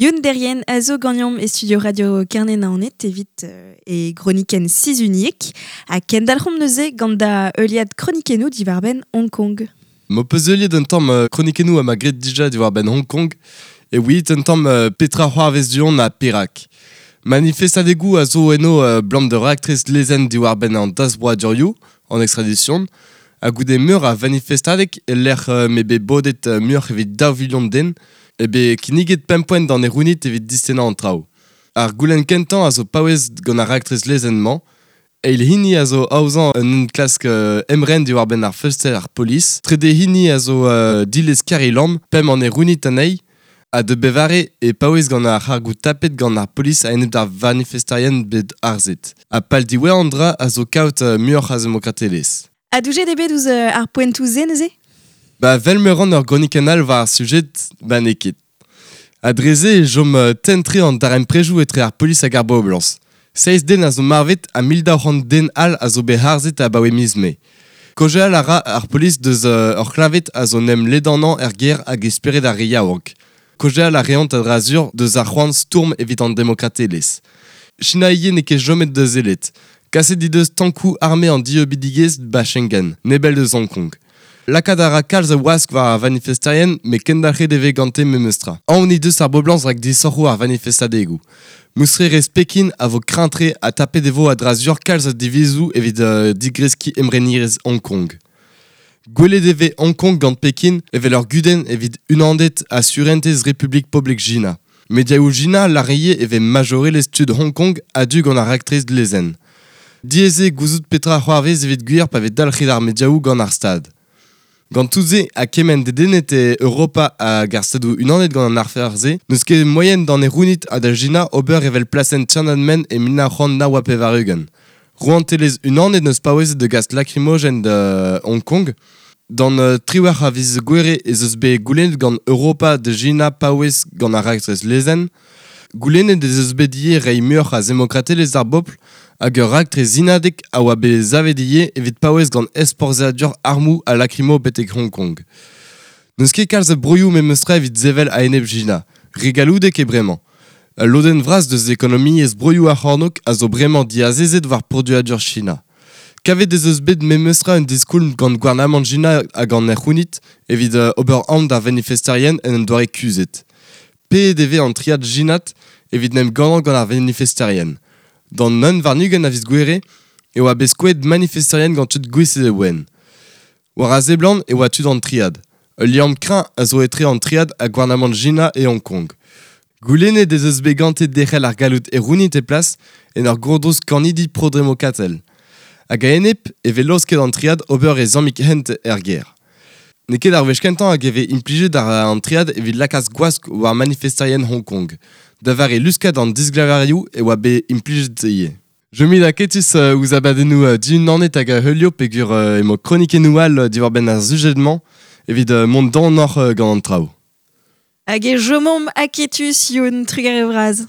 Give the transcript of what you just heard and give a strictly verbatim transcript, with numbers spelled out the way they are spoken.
Youn Derien a zo gagnam e studio radio Kerne Naoned evit euh, e groniken sizuniek a kendalc'homp neuze gant da euliad kronikenou diwarben Hong Kong. Mo peus euliad un tamm euh, kronikenou a ma gret dija diwarben Hong Kong e oui un tamm euh, Petra c'hoarvez duon a Perak. Manifestadegou a zo eno euh, blam de raktres lezen diwarben an dasbroa durioù en extradition a goude meur a manifestadeg e lec'h euh, me be bodet euh, meur evit daou vilion den e be kinniget pemp poent d'an erounit evit distenañ an traoù. Ar goulenn kentañ a zo paouez gant ar raktres lezenn-mañ, eil hini a zo aozañ un enklask euh, emren diwar-benn ar feulster ar polis, trede hini a zo euh, dilez Carrie Lam, pemp an erounit anezhi, ha de bevare e paouez gant ar c'hargoù tapet gant ar polis a-enep d'ar vanifestarien bet arzet. Ha pal diwezhañ an dra a zo kaout euh, muioc'h a zemokratelezh. Ha doujet eo bet ouzh euh, ar poentoù-se neuze? Ba vel me ran ur gronikenn all war ar sujet, ba n'eo ket. Ha dre-se e chom euh, tenn-tre an darempredoù etre ar polis hag ar boblañs. Seizh den a zo marvet ha mil daou c'hant den all a zo bet harzet abaoe miz Mae. Kaozeal a ra ar polis deus euh, ur c'hleñved a zo n'em ledanañ er gêr hag e spered ar re yaouank. Kaozeal a reont a-dra-sur deus ar c'hoant stourm evit an demokratelezh. China ivez n'eo ket chomet da sellet. Kaset he deus tankoù arme an dieubidigezh ba Schengen, nebell deus Hong Kong. Lakaat a ra kalz a wask war ar vanifesterien, met kendalc'het e vez gante memestra. Aon he deus ar boblañs rak disoc'hoù ar vanifestadegoù. Moussererezh Pekin a vo kreñv-tre ha tapet e vo a-dra-sur kalz a divizoù evit euh, digreskiñ emrenerezh Hong Kong. Gwelet e vez Hong Kong gant Pekin evel ur gudenn evit unanded ha surentez Republik Poblek China. Mediaoù China lâr ivez e vez majorelezh tud Hong Kong a-du gant ar raktres lezenn. Diaes eo gouzout petra c'hoarvez evit gwir pa vez dalc'het ar mediaoù gant ar Stad. Gant tout-se ha kement dedennet eo Europa hag ar Stadoù Unanet gant an afer-se, n'eus ket moaien d'an erounit ha da China ober evel plasenn Tiananmen e mil nav c'hant nav ha pevar-ugent. Rouantelezh Unanet n'eus paouezet da gas lakrimogen da Hong Kong. D'an euh, triwec'h a viz Gouere ez eus bet goulennet gant Europa da China paouez gant ar raktres lezenn. Goulennet ez eus bet ivez reiñ muioc'h a zemokratelezh d'ar bobl hag ur raktres zinadek a oa bet savet ivez evit paouez gant ezporzhiadur armoù ha lakrimo betek Hong Kong. N'eus ket kalz a broioù memestra evit sevel a-enep China, re galloudek eo bremañ. Ul lodenn vras deus ekonomiezh broioù ar c'hornôg a zo bremañ diazezet war produadur China. Kavet ez eus bet memestra un diskoulm gant gouarnamant China hag an erc'hounit evit euh, ober aon d'ar vanifesterien en un doare kuzhet. Paeet e vez an triad chinat evit n'em gannañ gant ar vanifesterien. D'an un warn-ugent a viz Gouere e oa bet skoet manifesterien gant tud gwisket e wenn. War a seblant e oa tud an triad. Ul liamm kreñv a zo etre an triad ha gouarnamant China e Hong Kong. Goulennet ez eus bet gante derc'hel ar galloud erounit e plas en ur gourdrouz kannidi pro-demokratel. Hag a-enep e vez laosket an triad ober e zammig hent er gêr. N'eo ket ar wech kentañ hag e vez implijet ar an triad evit lakaat gwask war manifesterien Hong Kong. Da vare luskad an disglavarioù e oa bet implijet ivez. Je mit aketus euh, ouzh abadennoù euh, diunanet hag a heulio peogwir euh, emañ kronikennoù all euh, diwar-benn ar sujed-mañ evit euh, mont donoc'h euh, gant an traoù. Hag e chomomp aketus Youn, trugarez bras.